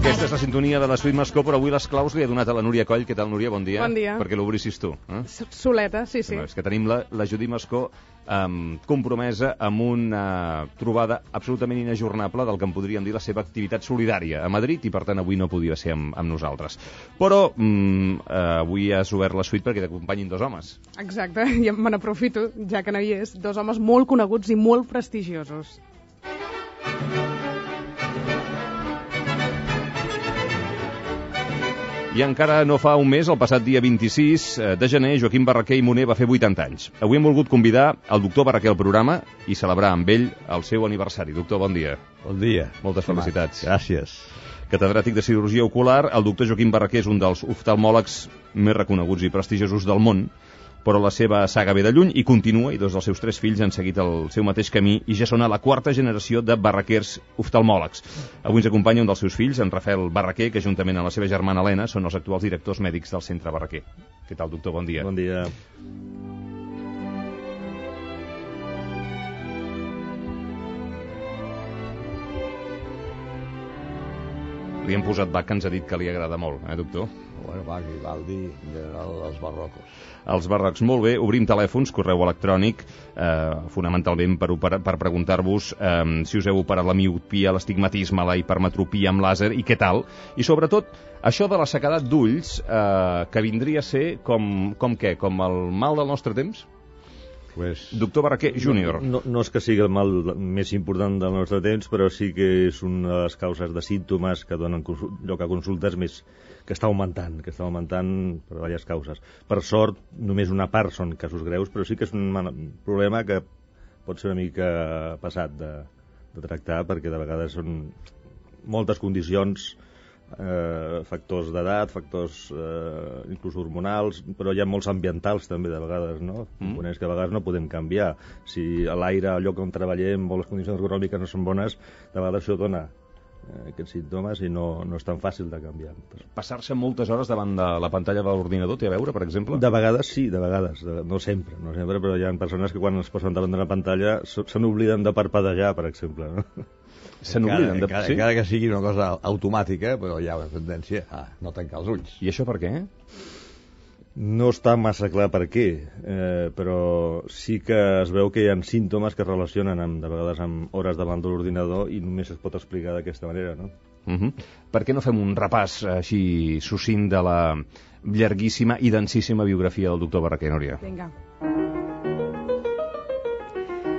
Aquesta és la sintonia de la Suite Mascó, però avui les claus li he donat a la Núria Coll. Què tal, Núria? Bon dia. Bon dia. Perquè l'obrissis tu. Soleta, sí. És que tenim la Judit Mascó compromesa amb una trobada absolutament inajornable del que en podríem dir la seva activitat solidària a Madrid, i per tant avui no podia ser amb nosaltres. Però avui has obert la suite perquè t'acompanyin dos homes. Exacte, i me n'aprofito, ja que no hi és, dos homes molt coneguts i molt prestigiosos. I encara no fa un mes, el passat dia 26 de gener, Joaquim Barraquer i Moner va fer 80 anys. Avui hem volgut convidar el doctor Barraquer al programa i celebrar amb ell el seu aniversari. Doctor, bon dia. Bon dia. Moltes felicitats. Gràcies. Catedràtic de cirurgia ocular, el doctor Joaquim Barraquer és un dels oftalmòlegs més reconeguts i prestigiosos del món, però la seva saga ve de lluny i continua, i dos dels seus 3 fills han seguit el seu mateix camí i ja són a la 4ª generació de barraquers oftalmòlegs. Avui ens acompanya un dels seus fills, en Rafael Barraquer, que juntament amb la seva germana Helena són els actuals directors mèdics del Centre Barraquer. Què tal, doctor? Bon dia. Bon dia. Li hem posat Bach, que ens ha dit que li agrada molt, doctor? Bueno, Bach i Vivaldi, en general, els barrocos. Els barrocs, molt bé. Obrim telèfons, correu electrònic, fonamentalment per preguntar-vos si us heu operat la miopia, l'estigmatisme, la hipermetropia amb làser i què tal. I sobretot, això de la sequedat d'ulls, que vindria a ser com què? Com el mal del nostre temps? Pues, doctor Barraquer Júnior. No és que sigui el mal més important del nostre temps, però sí que és una de les causes de símptomes que donen lloc a consultes més que està augmentant per diverses causes. Per sort, només una part són casos greus, però sí que és un problema que pot ser una mica passat de tractar, perquè de vegades són moltes condicions, factors d'edat, factors inclús hormonals, però hi ha molts ambientals també de vegades, no? Components que a vegades no podem canviar. Si a l'aire, al lloc on treballem o les condicions ergonòmiques no són bones, de vegades això dona aquests símptomes i no és tan fàcil de canviar. Passar-se moltes hores davant de la pantalla de l'ordinador té a veure, per exemple? De vegades sí, de vegades. No sempre, però hi ha persones que quan es posen davant de la pantalla se n'obliden de parpadejar, per exemple, no? Se n'obliden de... Encara que sigui una cosa automàtica, però hi ha una tendència a no tancar els ulls. I això per què? No està massa clar per què, però sí que es veu que hi ha símptomes que es relacionen de vegades amb hores davant de l'ordinador i només es pot explicar d'aquesta manera, no? Per què no fem un repàs així succint de la llarguíssima i densíssima biografia del doctor Barraquer, Núria? Vinga.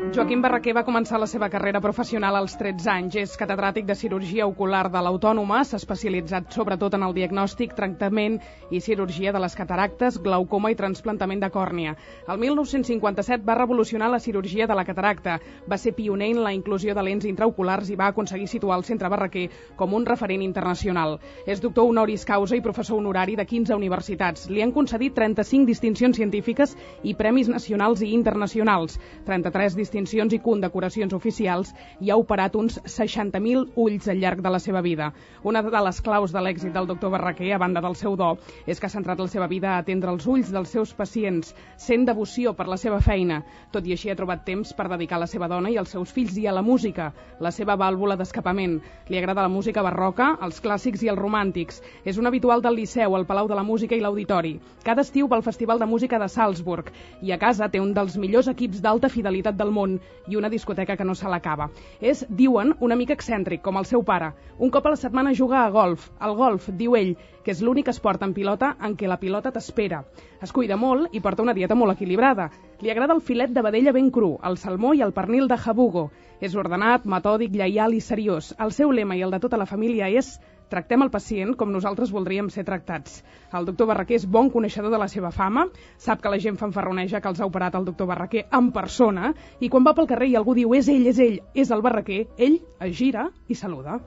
Joaquim Barraquer va començar la seva carrera professional als 13 anys. És catedràtic de cirurgia ocular de l'Autònoma, s'ha especialitzat sobretot en el diagnòstic, tractament i cirurgia de les cataractes, glaucoma i trasplantament de còrnia. El 1957 va revolucionar la cirurgia de la cataracta, va ser pioner en la inclusió de lents intraoculars i va aconseguir situar el Centre Barraquer com un referent internacional. És doctor honoris causa i professor honorari de 15 universitats. Li han concedit 35 distincions científiques i premis nacionals i internacionals, 33 distincions i condecoracions oficials, i ha operat uns 60.000 ulls al llarg de la seva vida. Una de les claus de l'èxit del doctor Barraquer, a banda del seu do, és que ha centrat la seva vida a atendre els ulls dels seus pacients, sent devoció per la seva feina. Tot i així ha trobat temps per dedicar a la seva dona i als seus fills i a la música, la seva vàlvula d'escapament. Li agrada la música barroca, els clàssics i els romàntics. És un habitual del Liceu, el Palau de la Música i l'Auditori. Cada estiu va al Festival de Música de Salzburg i a casa té un dels millors equips d'alta fidelitat del món i una discoteca que no se l'acaba. És, diuen, una mica excèntric, com el seu pare. Un cop a la setmana juga a golf. El golf, diu ell, que és l'únic esport en pilota en què la pilota t'espera. Es cuida molt i porta una dieta molt equilibrada. Li agrada el filet de vedella ben cru, el salmó i el pernil de jabugo. És ordenat, metòdic, lleial i seriós. El seu lema i el de tota la família és: tractem el pacient com nosaltres voldríem ser tractats. El doctor Barraquer és bon coneixedor de la seva fama, sap que la gent fanfarroneja que els ha operat el doctor Barraquer en persona, i quan va pel carrer i algú diu és ell, és el Barraquer, ell es gira i saluda.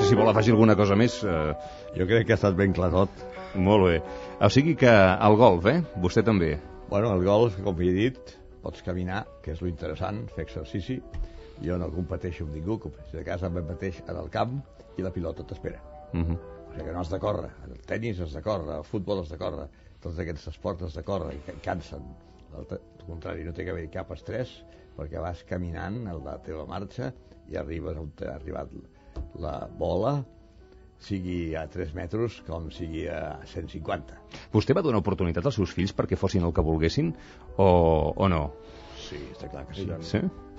Si vol afegir alguna cosa més... Jo crec que ha estat ben clar tot. Molt bé. O sigui que el golf, Vostè també. Bueno, el golf, com he dit, pots caminar, que és lo interessant, fer exercici. Jo no competeixo amb ningú, competeixo de casa amb el mateix en el camp i la pilota t'espera. O sigui que no has de córrer. El tenis has de córrer, el futbol has de córrer, tots aquests esports has de córrer i cansen. Al contrari, no té que haver cap estrès perquè vas caminant a la teva marxa i arribes on t'ha arribat la bola sigui a 3 metres com sigui a 150. Vostè va donar oportunitat als seus fills perquè fossin el que volguessin o no? Sí, està clar que sí.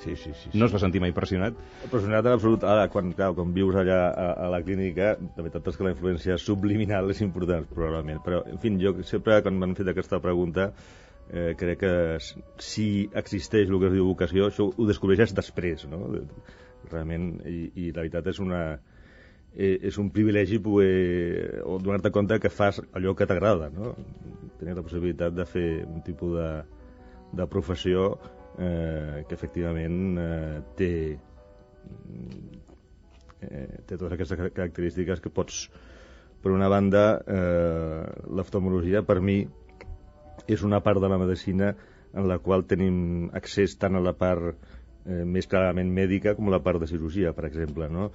Sí? Sí. No es va sentir mai pressionat? Pressionat en absolut. Ara, quan vius allà a la clínica, la veritat és que la influència subliminal és important, probablement. Però, en fi, jo sempre, quan m'han fet aquesta pregunta, crec que si existeix el que es diu vocació, això ho descobreixes després, no? Realment, i la veritat és un privilegi poder donar-te compte que fas allò que t'agrada, no? Tenir la possibilitat de fer un tipus de professió que efectivament té totes aquestes característiques que pots, per una banda, l'oftalmologia per mi és una part de la medicina en la qual tenim accés tant a la part més clarament mèdica com a la part de cirurgia, per exemple, no?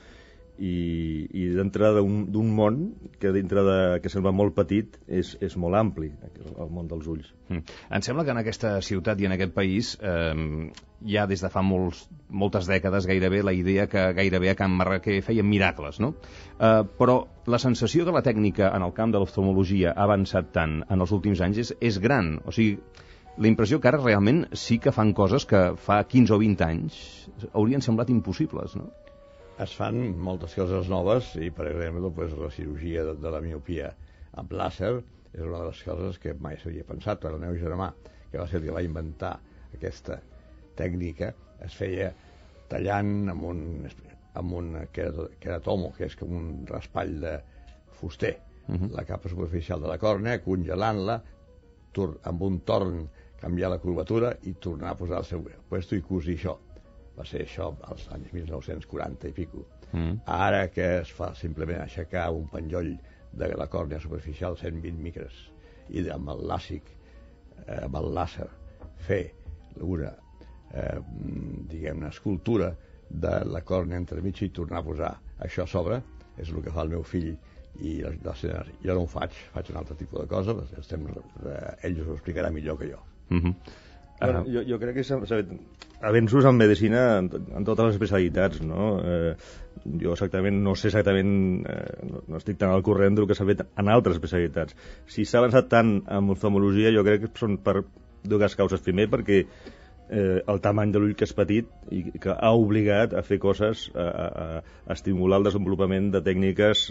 I dintre d'un món que que sembla molt petit és molt ampli, el món dels ulls. Em sembla que en aquesta ciutat i en aquest país hi ha des de fa moltes dècades gairebé la idea que gairebé a Can Barraquer feien miracles, no? Però la sensació que la tècnica en el camp de l'oftalmologia ha avançat tant en els últims anys és gran. O sigui, la impressió que ara realment sí que fan coses que fa 15 o 20 anys haurien semblat impossibles, no? Es fan moltes coses noves i, per exemple, la cirurgia de la miopia amb làser és una de les coses que mai s'havia pensat. El meu germà, que va ser el que va inventar aquesta tècnica, es feia tallant amb un queratomo, que és com un raspall de fuster, la capa superficial de la còrnea, congelant-la, amb un torn canviar la curvatura i tornar a posar el seu puesto i cosir això. Va ser això als anys 1940 i pico. Ara que es fa simplement aixecar un penjoll de la còrnea superficial 120 micres i amb el làsic, amb el làser, fer una escultura de la còrnea entremig i tornar a posar això a sobre, és el que fa el meu fill i jo no ho faig un altre tipus de cosa, ell us ho explicarà millor que jo. Bueno, jo crec que s'ha fet avenços en medicina en totes les especialitats, no? Jo no sé exactament, no estic tan al corrent del que s'ha fet en altres especialitats. Si s'ha avançat tant en oftalmologia, jo crec que són per dues causes. Primer, perquè el tamany de l'ull que és petit i que ha obligat a fer coses, a estimular el desenvolupament de tècniques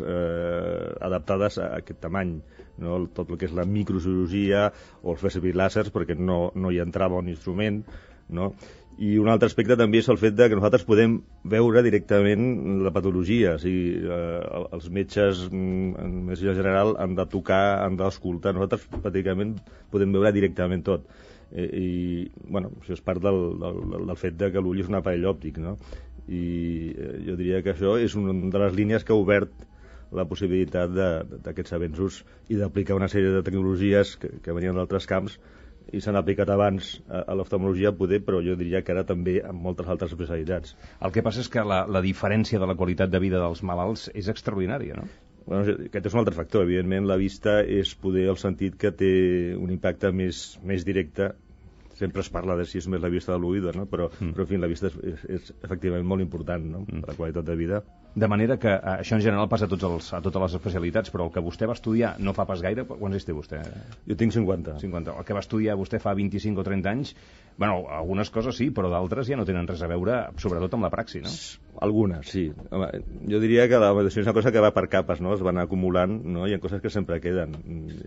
adaptades a aquest tamany, no? Tot el que és la microcirurgia o els fer servir làsers perquè no hi entrava un instrument, no? I un altre aspecte també és el fet de que nosaltres podem veure directament la patologia, o sigui, els metges en medicina general han de tocar, han d'escoltar, nosaltres pràcticament podem veure directament tot. I bueno, això és part del fet de que l'ull és un aparell òptic, no? I jo diria que això és una de les línies que ha obert la possibilitat d'aquests avenços i d'aplicar una sèrie de tecnologies que venien d'altres camps i s'han aplicat abans a l'oftalmologia poder, però jo diria que ara també en moltes altres especialitats. El que passa és que la diferència de la qualitat de vida dels malalts és extraordinària, no? Bueno, aquest és un altre factor. Evidentment, la vista és poder el sentit que té un impacte més directe. Sempre es parla de si és més la vista de l'oïda, no? Però en fi, la vista és efectivament molt important, no? Per la qualitat de vida. De manera que això en general passa a totes les especialitats, però el que vostè va estudiar no fa pas gaire. Quants anys té vostè? Jo tinc 50. El que va estudiar vostè fa 25 o 30 anys, bueno, algunes coses sí, però d'altres ja no tenen res a veure, sobretot amb la praxi, no? Algunes, sí. Home, jo diria que la medicina és una cosa que va per capes, no? Es van acumulant, no? Hi ha coses que sempre queden.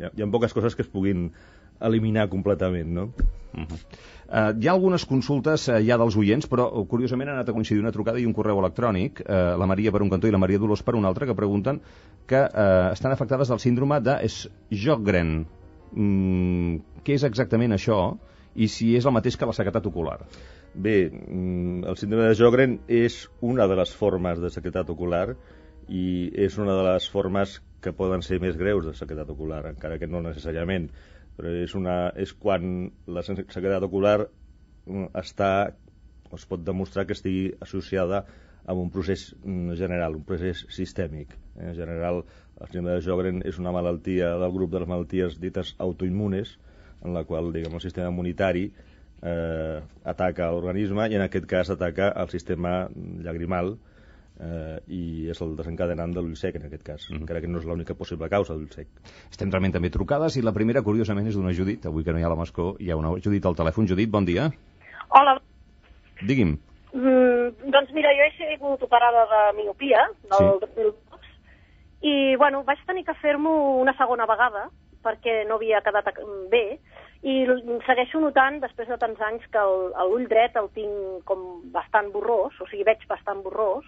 Hi ha poques coses que es puguin eliminar completament, no? Hi ha algunes consultes ja dels oients, però curiosament ha anat a coincidir una trucada i un correu electrònic, la Maria per un cantó i la Maria Dolors per un altre, que pregunten que estan afectades del síndrome de Sjögren. Què és exactament això i si és el mateix que la sequedat ocular? Bé, el síndrome de Sjögren és una de les formes de sequedat ocular i és una de les formes que poden ser més greus de sequedat ocular, encara que no necessàriament. Però és quan la sequedat ocular es pot demostrar que estigui associada amb un procés general, un procés sistèmic. En general, el síndrome de Sjögren és una malaltia del grup de les malalties dites autoimmunes, en la qual, diguem, el sistema immunitari ataca l'organisme i en aquest cas ataca el sistema llagrimal i és el desencadenant de l'ull sec, en aquest cas, encara que no és l'única possible causa d'ull sec. Estem realment també trucades i la primera, curiosament, és d'una Judit. Avui que no hi ha la Mascó, hi ha una Judit al telèfon. Judit, bon dia. Hola. Digui'm. Doncs mira, jo he sigut operada de miopia del 2002 i, bueno, vaig tenir que fer-m'ho una segona vegada perquè no havia quedat bé i segueixo notant, després de tants anys, que l'ull dret el tinc com bastant borrós, o sigui, veig bastant borrós,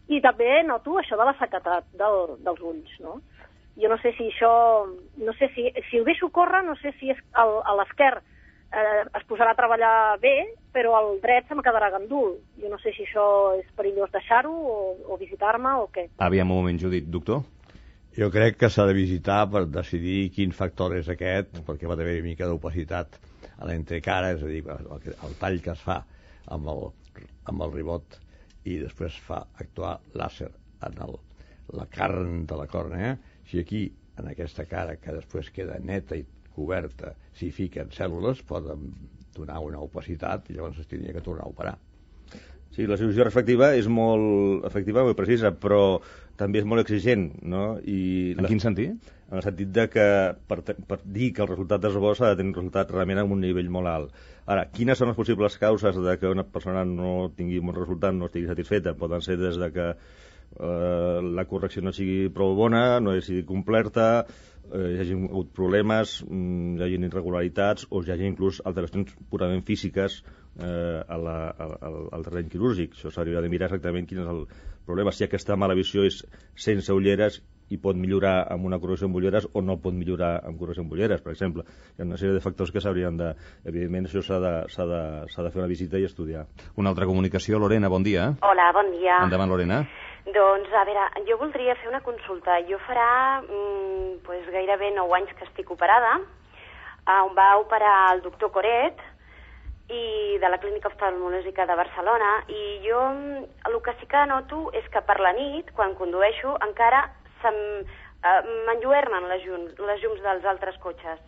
i també noto això de la sequedat dels ulls, no? Jo no sé si això... No sé si ho deixo córrer, no sé si a l'esquerra es posarà a treballar bé, però el dret se me quedarà gandul. Jo no sé si això és perillós deixar-ho o visitar-me o què. Aviam un moment, Judit. Doctor? Jo crec que s'ha de visitar per decidir quin factor és aquest, perquè va haver una mica d'opacitat a l'entrecara, és a dir, el tall que es fa amb el ribot i després fa actuar làser en la carn de la còrnea. Si aquí, en aquesta cara, que després queda neta i coberta, s'hi fiquen cèl·lules, poden donar una opacitat i llavors es tindria que tornar a operar. Sí, la cirurgia refractiva és molt efectiva, molt precisa, però també és molt exigent, no? En quin sentit? En el sentit de que per dir que el resultat és bo s'ha de tenir un resultat realment amb un nivell molt alt. Ara, quines són les possibles causes de que una persona no tingui un bon resultat, no estigui satisfeta? Poden ser des de que la correcció no sigui prou bona, no sigui completa, hi hagi hagut problemes, hi hagi irregularitats o hi hagi inclús alteracions purament físiques al terreny quirúrgic. Això s'hauria de mirar exactament quin és el problema, si aquesta mala visió és sense ulleres i pot millorar amb una correcció amb ulleres o no pot millorar amb correcció amb ulleres, per exemple. Hi ha una sèrie de factors que s'haurien de... Evidentment, això s'ha de fer una visita i estudiar. Una altra comunicació. Lorena, bon dia. Hola, bon dia. Endavant, Lorena. Doncs, a veure, jo voldria fer una consulta. Jo farà gairebé 9 anys que estic operada. On va operar el doctor Coret i de la Clínica Oftalmològica de Barcelona, i jo el que sí que noto és que per la nit, quan condueixo, encara m'enlluernen les llums dels altres cotxes.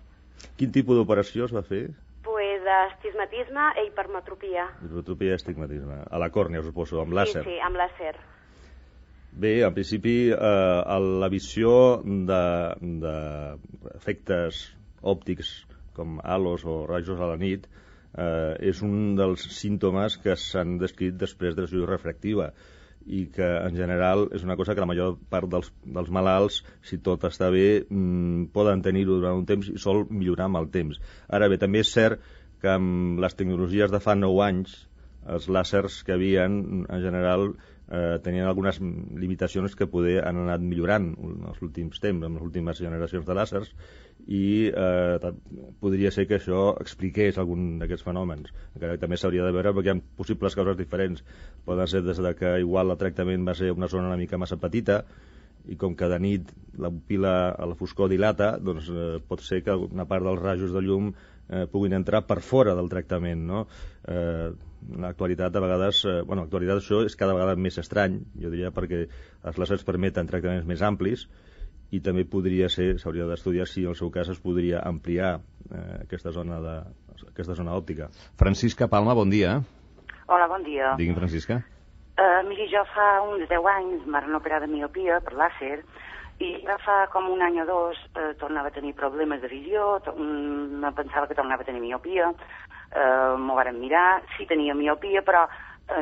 Quin tipus d'operació es va fer? Pues astigmatisme i hipermetropia. Hipermetropia i astigmatisme. A la còrnea, suposo, amb làser. Sí, amb làser. Bé, en principi, la visió d'efectes òptics com halos o rajos a la nit és un dels símptomes que s'han descrit després de la cirurgia refractiva i que, en general, és una cosa que la major part dels malalts, si tot està bé, poden tenir-ho durant un temps i sol millorar amb el temps. Ara bé, també és cert que amb les tecnologies de fa 9 anys, els làsers que havien, en general, tenien algunes limitacions que poder han anat millorant en els últims temps, en les últimes generacions de làsers, i podria ser que això expliqués algun d'aquests fenòmens. Encara que també s'hauria de veure perquè hi ha possibles causes diferents. Poden ser des de que igual el tractament va ser una zona una mica massa petita i com que de nit la pupil·la a la foscor dilata, doncs pot ser que una part dels rajos de llum puguin entrar per fora del tractament, no? En l'actualitat, a vegades, l'actualitat això és cada vegada més estrany, jo diria, perquè els làsers permeten tractaments més amplis i també podria ser, s'hauria d'estudiar si en el seu cas es podria ampliar aquesta zona òptica. Francisca Palma, bon dia. Hola, bon dia. Digui'm, Francisca. Miri, jo fa uns 10 anys em van operar de miopia per làser i ja fa com un any o dos tornava a tenir problemes de visió, me pensava que tornava a tenir miopia, m'ho varen mirar, sí tenia miopia, però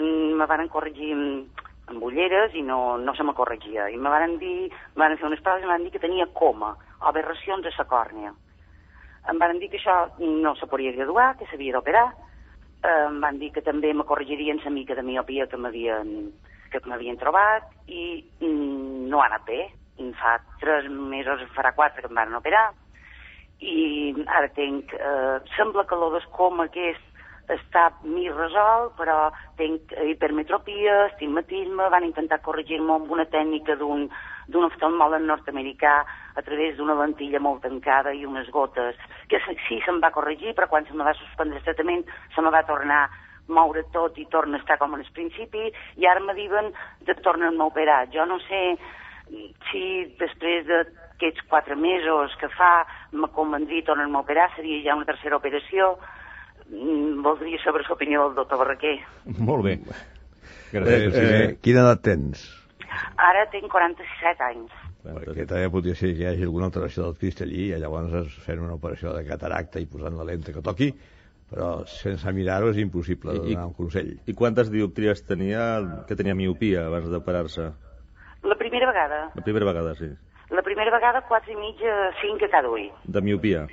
me varen corregir amb ulleres i no se me corregia. I me varen fer unes proves i me van dir que tenia coma, aberracions a la còrnea. Em van dir que això no se podia graduar, que s'havia d'operar. Em van dir que també me corregirien la mica de miopia que m'havien trobat i no ha anat bé. Fa 3 mesos, farà 4 que em van operar i ara sembla que el coma que està mig resolt, però tinc hipermetropia, astigmatisme, van intentar corregir-me amb una tècnica d'un oftalmòleg nord-americà a través d'una lentilla molt tancada i unes gotes, que sí se'm va corregir, però quan se me va suspendre el tractament se me va tornar a moure tot i torna a estar com en el principi i ara me diuen de tornar-me a operar. Jo no sé si després d'aquests 4 mesos que fa me convendria tornar-me a operar, seria ja una tercera operació. Voldria saber l'opinió del doctor Barraquer. Molt bé. Quina edat tens? Ara tinc 47 anys. Perquè també podria ser que hi hagi alguna alteració del cristallí i llavors fent una operació de cataracta i posant la lente que toqui, però sense mirar-ho és impossible donar un consell. I quantes dioptries tenia, que tenia miopia abans d'operar-se? La primera vegada. La primera vegada, sí. La primera vegada 4,5 a 5 a cada ull. De miopia?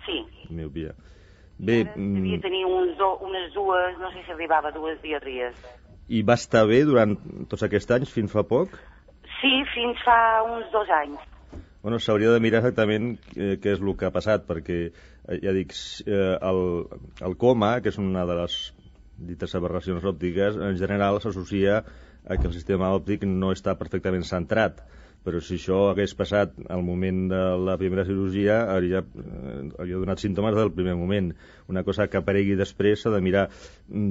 Sí. Miopia. Bé... Devia tenir unes dues, no sé si arribava a 2 dioptries. I va estar bé durant tots aquests anys, fins fa poc? Sí, fins fa uns 2 anys. Bueno, s'hauria de mirar exactament què és el que ha passat, perquè, ja dic, el coma, que és una de les dites aberracions òptiques, en general s'associa a que el sistema òptic no està perfectament centrat. Però si això hagués passat al moment de la primera cirurgia, hauria donat símptomes del primer moment. Una cosa que aparegui després s'ha de mirar.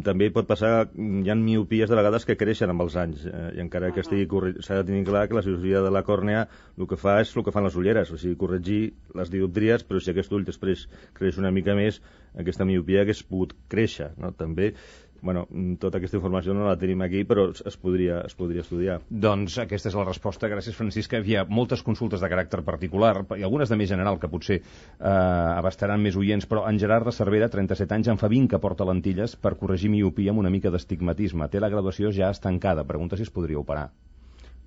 També pot passar, hi ha miopies de vegades que creixen amb els anys, i encara que s'ha de tenir clar que la cirurgia de la còrnea el que fa és el que fan les ulleres, o sigui, corregir les dioptries, però si aquest ull després creix una mica més, aquesta miopia hagués pogut créixer, no? També. Bueno, tota aquesta informació no la tenim aquí, però es podria estudiar. Doncs aquesta és la resposta. Gràcies, Francisca. Hi ha moltes consultes de caràcter particular i algunes de més general que potser abastaran més oients, però en Gerard de Cervera, 37 anys, en fa 20 que porta lentilles per corregir miopia amb una mica d'astigmatisme. Té la graduació ja estancada. Pregunta si es podria operar.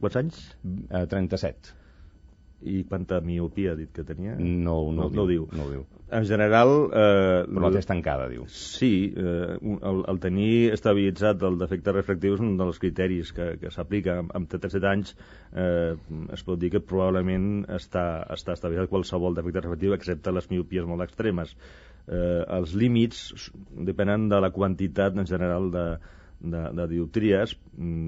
Quants anys? 37. I quanta miopia ha dit que tenia? No ho diu. En general... però la té estancada, diu. Sí, el tenir estabilitzat el defecte refractiu és un dels criteris que s'aplica. Amb 37 anys es pot dir que probablement està estabilitzat qualsevol defecte refractiu, excepte les miopies molt extremes. Els límits depenen de la quantitat en general de dioptries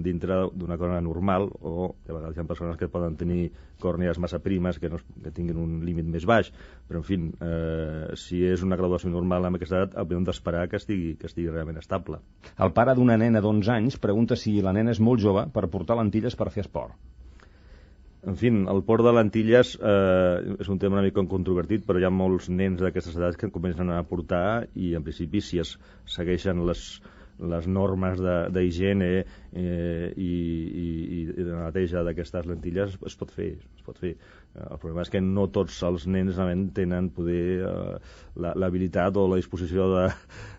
dintre d'una còrnea normal, o de vegades hi ha persones que poden tenir còrnees massa primes que tinguin un límit més baix, però en fi, si és una graduació normal amb aquesta edat, hauríem d'esperar que estigui realment estable. El pare d'una nena d'11 anys pregunta si la nena és molt jove per portar lentilles per fer esport. En fi, el port de lentilles és un tema una mica controvertit, però hi ha molts nens d'aquestes edats que comencen a portar i en principi si es segueixen les normes d'higiene i de neteja d'aquestes lentilles es pot fer. El problema és que no tots els nens tenen poder l'habilitat o la disposició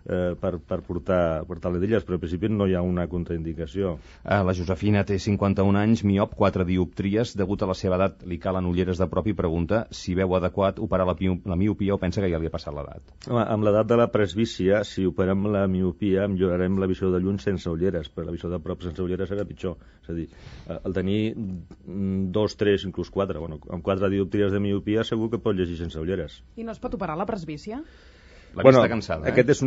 per portar lentilles, però en principi no hi ha una contraindicació. La Josefina té 51 anys, miop, 4 dioptries. Degut a la seva edat li calen ulleres de prop i pregunta si veu adequat operar la miopia o pensa que ja li ha passat l'edat. Amb l'edat de la presbícia, si operem la miopia, millorarem la visió de lluny sense ulleres, però la visió de prop sense ulleres serà pitjor. És a dir, el tenir 2, 3, inclús 4, amb 4 dioptries de miopia segur que pot llegir sense ulleres. I no es pot operar la presbícia? La vista cansada, Aquest és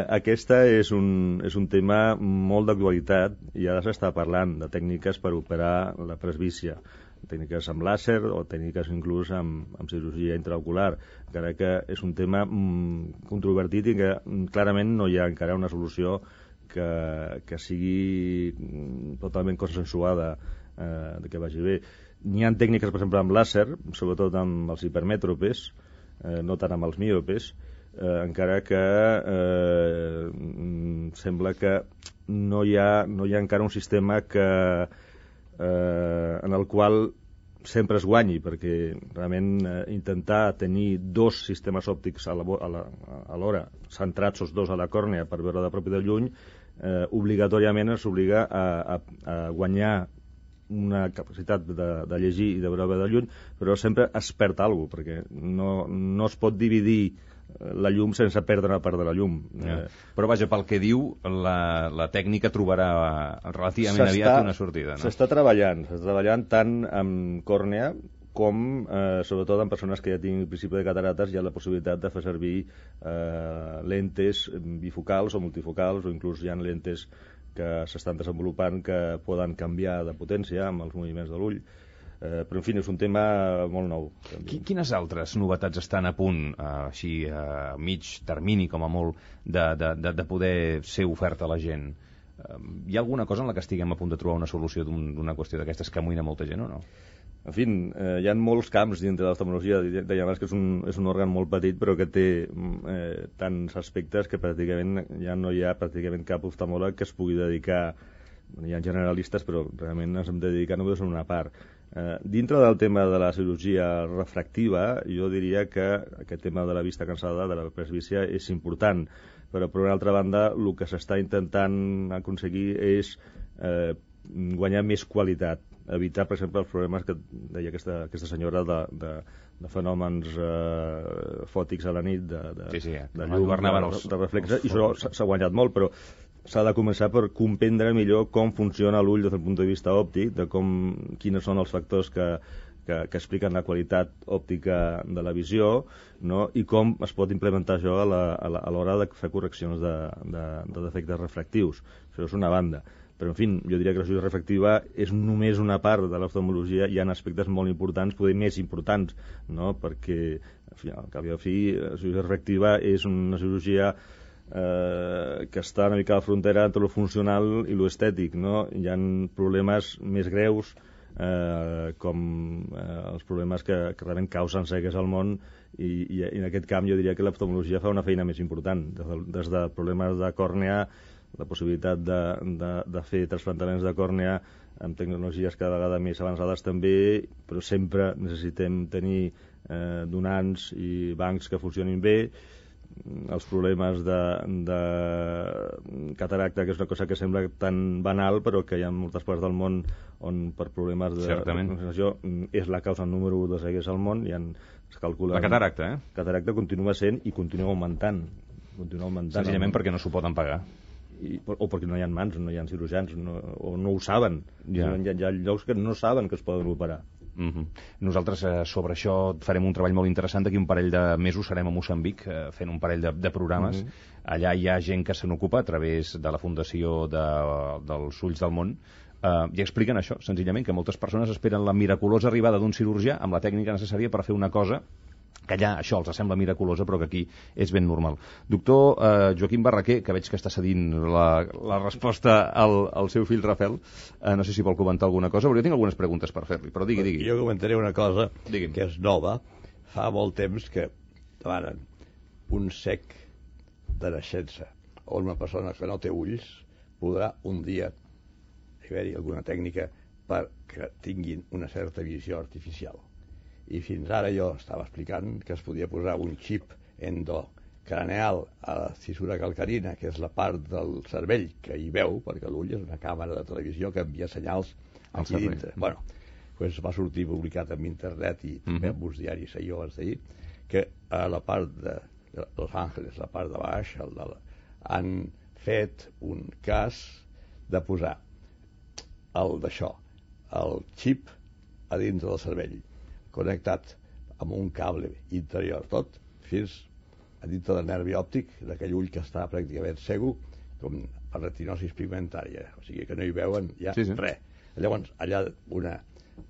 aquesta és un tema molt d'actualitat i ara s'està parlant de tècniques per operar la presbícia, tècniques amb làser o tècniques inclús amb cirurgia intraocular, encara que és un tema controvertit i que clarament no hi ha encara una solució que sigui totalment consensuada, que vagi bé. N'hi ha tècniques, per exemple, amb làser, sobretot amb els hipermètropes, no tant amb els miopes, encara que sembla que no hi ha encara un sistema en el qual sempre es guanyi, perquè realment intentar tenir 2 sistemes òptics alhora, centrats els 2 a la còrnea per veure de prop i de lluny, obligatòriament s'obliga a guanyar una capacitat de llegir i de veure de lluny, però sempre es perd alguna cosa, perquè no es pot dividir la llum sense perdre una part de la llum. Però vaja, pel que diu, la tècnica trobarà relativament aviat una sortida, no? S'està treballant tant amb còrnea com, sobretot en persones que ja tinguin principi de catarates, hi ha la possibilitat de fer servir lentes bifocals o multifocals, o inclús hi ha lentes que s'estan desenvolupant que poden canviar de potència amb els moviments de l'ull. Però, en fi, és un tema molt nou. Quines altres novetats estan a punt, així a mig termini, com a molt, de poder ser oferta a la gent? Hi ha alguna cosa en la que estiguem a punt de trobar una solució d'una qüestió d'aquestes que amoïna molta gent o no? En fi, hi ha molts camps dintre de l'oftalmologia. Deia abans que és un òrgan molt petit, però que té tants aspectes que pràcticament ja no hi ha pràcticament cap oftalmòleg que es pugui dedicar. Hi ha generalistes, però realment ens hem de dedicar només a una part. Dintre del tema de la cirurgia refractiva, jo diria que aquest tema de la vista cansada, de la presbícia, és important. Però, per una altra banda, el que s'està intentant aconseguir és guanyar més qualitat, evitar, per exemple, els problemes que deia aquesta senyora de fenòmens fòtics a la nit, de llum, de reflexes, i això s'ha guanyat molt, però s'ha de començar per comprendre millor com funciona l'ull des del punt de vista òptic, de quins són els factors que expliquen la qualitat òptica de la visió, no? I com es pot implementar això a l'hora de fer correccions de defectes refractius. Això és una banda. Però, en fi, jo diria que la cirurgia refractiva és només una part de l'oftalmologia. Hi ha aspectes molt importants, poder més importants, no? Perquè, al cap i a fi, la cirurgia refractiva és una cirurgia que està una mica a la frontera entre lo funcional i lo estètic, no? Hi ha problemes més greus, com els problemes que realment causen cegues al món, i en aquest camp jo diria que l'oftalmologia fa una feina més important, des de problemes de còrnea, la possibilitat de fer trasplantaments de còrnea amb tecnologies cada vegada més avançades també, però sempre necessitem tenir donants i bancs que funcionin bé. Els problemes de cataracta, que és una cosa que sembla tan banal, però que hi ha moltes parts del món on per problemes de concentració és la causa número 1 de cegues al món. Es calcula... La cataracta, Cataracta continua sent i continua augmentant. Senzillament perquè no s'ho poden pagar. O perquè no hi ha mans, no hi ha cirurgians, o no ho saben. Hi ha llocs que no saben que es poden operar. Nosaltres sobre això farem un treball molt interessant. D'aquí un parell de mesos serem a Moçambic fent un parell de programes. Allà hi ha gent que se n'ocupa a través de la Fundació dels Ulls del Món, i expliquen això, senzillament, que moltes persones esperen la miraculosa arribada d'un cirurgià amb la tècnica necessària per fer una cosa que allà això els sembla miraculosa, però que aquí és ben normal. Doctor Joaquim Barraquer, que veig que està cedint la resposta al seu fill Rafel, no sé si vol comentar alguna cosa, però jo tinc algunes preguntes per fer-li, però digui. Jo comentaré una cosa que és nova. Fa molt temps que demanen un cec de naixença o una persona que no té ulls podrà un dia haver-hi alguna tècnica perquè tinguin una certa visió artificial. I fins ara jo estava explicant que es podia posar un xip endocraneal a la cissura calcarina, que és la part del cervell que hi veu, perquè l'ull és una càmera de televisió que envia senyals aquí dintre. Bueno, pues va sortir publicat en internet i també en uns diaris ahir o abans d'ahir, que a la part de Los Angeles, la part de baix, han fet un cas de posar el xip a dintre del cervell, connectat amb un cable interior tot, fins a dintre del nervi òptic d'aquell ull que està pràcticament cego, com per retinosis pigmentària, o sigui que no hi veuen ja res. Llavors, allà una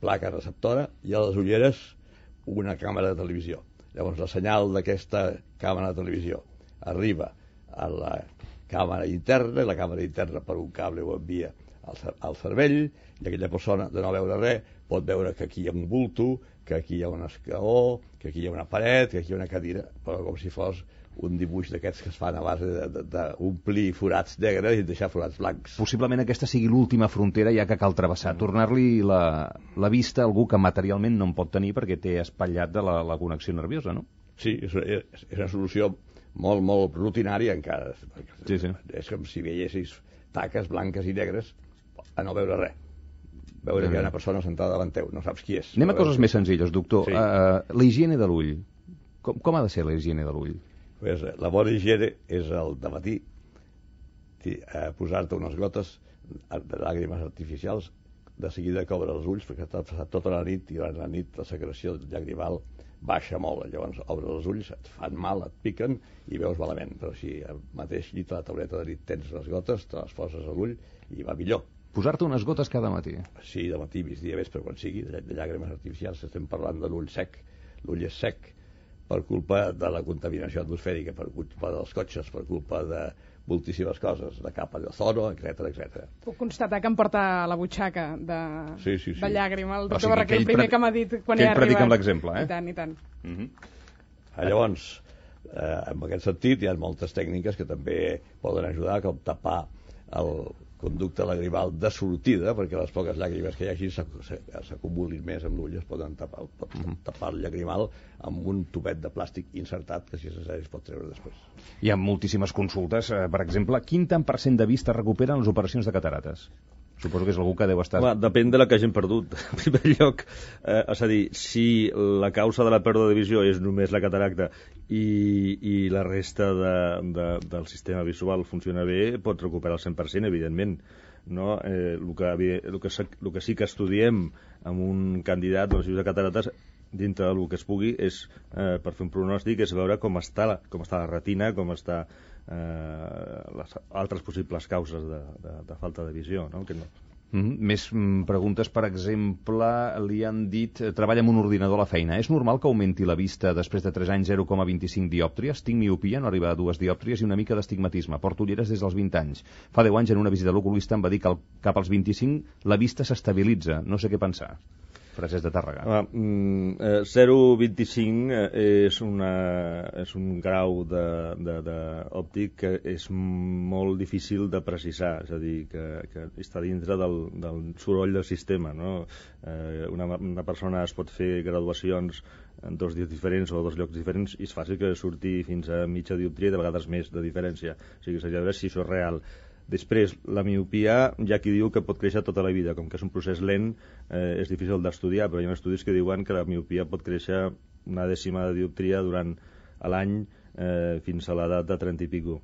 placa receptora i a les ulleres una càmera de televisió. Llavors, la senyal d'aquesta càmera de televisió arriba a la càmera interna, i la càmera interna per un cable ho envia al cervell, i aquella persona, de no veure res, pot veure que aquí hi ha un bulto, que aquí hi ha un escaó, que aquí hi ha una paret, que aquí hi ha una cadira, però com si fos un dibuix d'aquests que es fan a base d'omplir forats negres i deixar forats blancs. Possiblement aquesta sigui l'última frontera ja que cal travessar, tornar-li la vista a algú que materialment no en pot tenir perquè té espatllat de la connexió nerviosa, no? Sí, és una solució molt, molt rutinària encara. Sí. És com si veiessis taques blanques i negres a no veure res. Veure que hi ha una persona sentada davant teu, no saps qui és. Anem a coses més senzilles, doctor. La higiene de l'ull. Com ha de ser la higiene de l'ull? Pues, la bona higiene és el de matí posar-te unes gotes de llàgrimes artificials, de seguida que obre els ulls, perquè t'ha passat tota la nit, i durant la nit la secreció llagrimal baixa molt. Llavors obres els ulls, et fan mal, et piquen i veus malament. Però si al mateix llit a la tauleta de nit tens les gotes, te les poses a l'ull i va millor. Posar-te unes gotes cada matí? Sí, de matí, migdia, vespre, quan sigui, de llàgrimes artificials. Estem parlant de l'ull sec. L'ull és sec per culpa de la contaminació atmosfèrica, per culpa dels cotxes, per culpa de moltíssimes coses, de capa d'ozono, etc. Puc constatar que em porta a la butxaca de llàgrima. El doctor Barraquer, el primer que m'ha dit quan he arribat. Que ell predica amb l'exemple, I tant. Llavors, en aquest sentit, hi ha moltes tècniques que també poden ajudar, com tapar el conducte lagrimal de sortida, perquè les poques llàgrimes que hi hagi s'acumulin més amb l'ull, es poden tapar el llagrimal amb un tubet de plàstic insertat que, si és necessari, es pot treure després. Hi ha moltíssimes consultes. Per exemple, quin tant % de vista recuperen les operacions de catarates? Suposo que és algú que deu estar... Depèn de la que hagin perdut. En primer lloc, és a dir, si la causa de la pèrdua de visió és només la cataracta i la resta del sistema visual funciona bé, pot recuperar el 100%, evidentment. No? El que sí que estudiem amb un candidat de catarates, dintre del que es pugui, és, per fer un pronòstic, és veure com està la retina, com està les altres possibles causes de falta de visió, no? Més preguntes, per exemple, li han dit, treballa amb un ordinador a la feina. És normal que augmenti la vista després de 3 anys 0,25 diòptries? Tinc miopia, no arriba a 2 diòptries i una mica d'astigmatisme. Porto ulleres des dels 20 anys. Fa 10 anys en una visita a l'oculista em va dir que cap als 25 la vista s'estabilitza. No sé què pensar. Frases de Tàrrega. 0,25 és un grau òptic que és molt difícil de precisar, és a dir, que està dintre del soroll del sistema, no? Una persona es pot fer graduacions en 2 dies diferents o 2 llocs diferents i és fàcil que surti fins a mitja dioptria i de vegades més de diferència. O sigui, s'ha de veure si això és real. Després, la miopia, hi ha qui diu que pot créixer tota la vida, com que és un procés lent, és difícil d'estudiar, però hi ha estudis que diuen que la miopia pot créixer una dècima de dioptria durant l'any fins a l'edat de 30 i pico.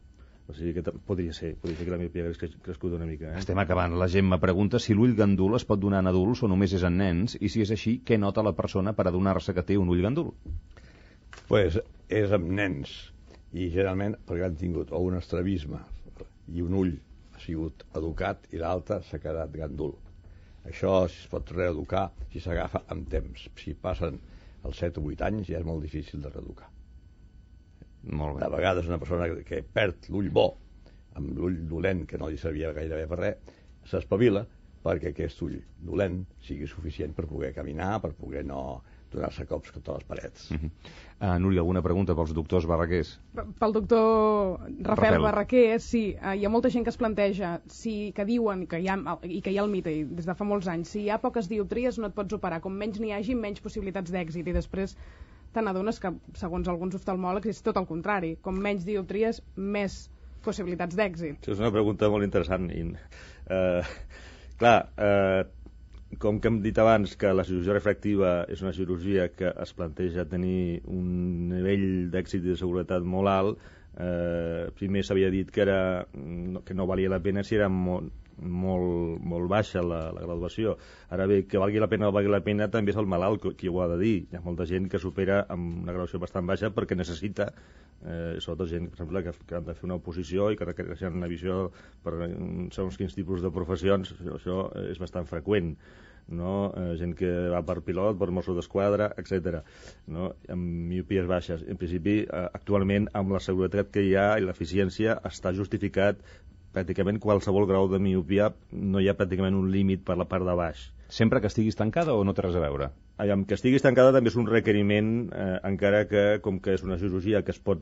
O sigui que podria ser que la miopia hagués crescut una mica. Estem acabant. La gent me pregunta si l'ull gandul es pot donar en adults o només és en nens, i si és així, què nota la persona per adonar-se que té un ull gandul? Pues és amb nens, i generalment perquè han tingut o un estrabisme i un ull ha sigut educat i l'altre s'ha quedat gandul. Això es pot reeducar si s'agafa amb temps. Si passen els 7 o 8 anys ja és molt difícil de reeducar. Molt bé. De vegades una persona que perd l'ull bo amb l'ull dolent, que no li servia gairebé per res, s'espavila perquè aquest ull dolent sigui suficient per poder caminar, per poder no donar-se cops contra les parets. Núria, alguna pregunta pels doctors Barraquers? Pel doctor Rafael Barraquer, sí. Hi ha molta gent que es planteja que diuen que hi ha el mite des de fa molts anys, si hi ha poques dioptries no et pots operar, com menys n'hi hagi menys possibilitats d'èxit, i després te n'adones que segons alguns oftalmòlegs és tot el contrari, com menys dioptries més possibilitats d'èxit. És una pregunta molt interessant. Com que hem dit abans que la cirurgia refractiva és una cirurgia que es planteja tenir un nivell d'èxit i de seguretat molt alt, primer s'havia dit que no valia la pena si era molt baixa la graduació. Ara bé, que valgui la pena o no valgui la pena també és el malalt qui ho ha de dir. Hi ha molta gent que supera amb una graduació bastant baixa perquè necessita, sobretot gent, per exemple, que han de fer una oposició i que requereixen una visió per segons quins tipus de professions. Això és bastant freqüent, no? Gent que va per pilot, per Mossos d'Esquadra, etc. No? Amb miopies baixes. En principi, actualment, amb la seguretat que hi ha i l'eficiència, està justificat pràcticament qualsevol grau de miopia, no hi ha pràcticament un límit per la part de baix. Sempre que estiguis tancada o no té res a veure? Que estiguis tancada també és un requeriment, encara que, com que és una cirurgia que es pot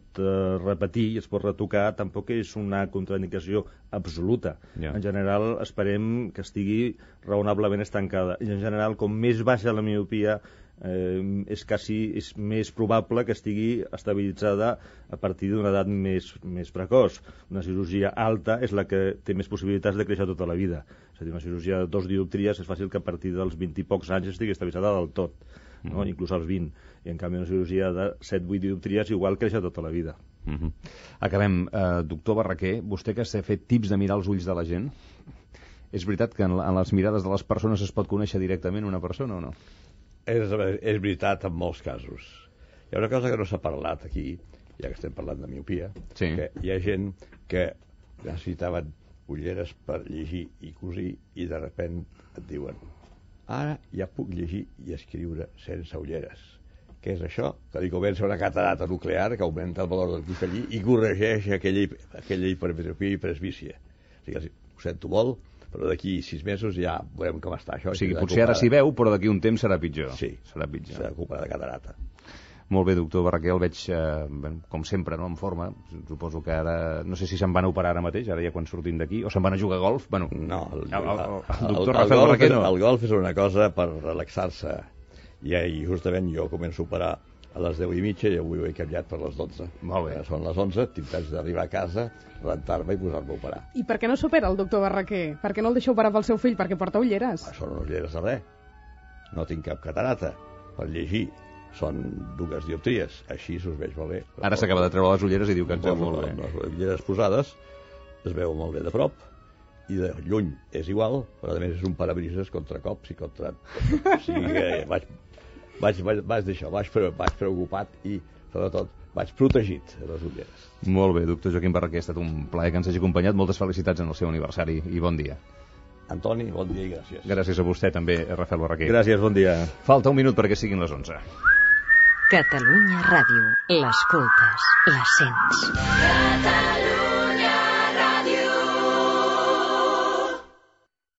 repetir i es pot retocar, tampoc és una contraindicació absoluta. En general, esperem que estigui raonablement estancada. I en general, com més baixa la miopia, és més probable que estigui estabilitzada a partir d'una edat més precoç. Una cirurgia alta és la que té més possibilitats de créixer tota la vida. És a dir, una cirurgia de 2 dioptries és fàcil que a partir dels 20 i pocs anys estigui estabilitzada del tot, no? Inclús als 20. I en canvi una cirurgia de 7-8 dioptries igual créixer tota la vida. Acabem. Doctor Barraquer, vostè que s'ha fet tips de mirar els ulls de la gent, és veritat que en les mirades de les persones es pot conèixer directament una persona o no? És veritat en molts casos. Hi ha una cosa que no s'ha parlat aquí, ja que estem parlant de miopia, que hi ha gent que necessitaven ulleres per llegir i cosir i de sobte et diuen ara ja puc llegir i escriure sense ulleres. que és això, que li comença una catarata nuclear que augmenta el valor del cristallí i corregeix aquella hipermetropia i presbícia. O sigui, ho sento molt, però d'aquí 6 mesos ja veurem com està això. O sigui, potser ara s'hi veu, però d'aquí un temps serà pitjor. Sí, serà pitjor. Serà culpa de catarata. Molt bé, doctor Barraquer, el veig, com sempre, no, en forma. Suposo que ara, no sé si se'n van a operar ara mateix, ara ja quan sortim d'aquí, o se'n van a jugar a golf. Bueno, no, el doctor Rafael Barraquer no. El golf és una cosa per relaxar-se. I justament jo començo a operar a les 10:30 i avui ho he canviat per les 12. Molt bé. Són les 11, tinc temps d'arribar a casa, rentar-me i posar-me a operar. I per què no s'opera el doctor Barraquer? Per què no el deixa operar pel seu fill? Perquè porta ulleres. Són ulleres de res. No tinc cap catarata per llegir. Són 2 dioptries, així us veig molt bé. Ara s'acaba de treure les ulleres i diu que ens veu molt bé. Les ulleres posades es veu molt bé de prop i de lluny és igual, però a més és un parabrises contra cops i contra... O sigui que vaig d'això, vaig preocupat i sobretot vaig protegit de les ulleres. Molt bé, doctor Joaquim Barraquer, ha estat un plaer que ens hagi acompanyat. Moltes felicitats en el seu aniversari i bon dia. Antoni, bon dia i gràcies. Gràcies a vostè també, Rafael Barraquer. Gràcies, bon dia. Falta un minut perquè siguin les 11. Catalunya Ràdio. L'escoltes, la sents.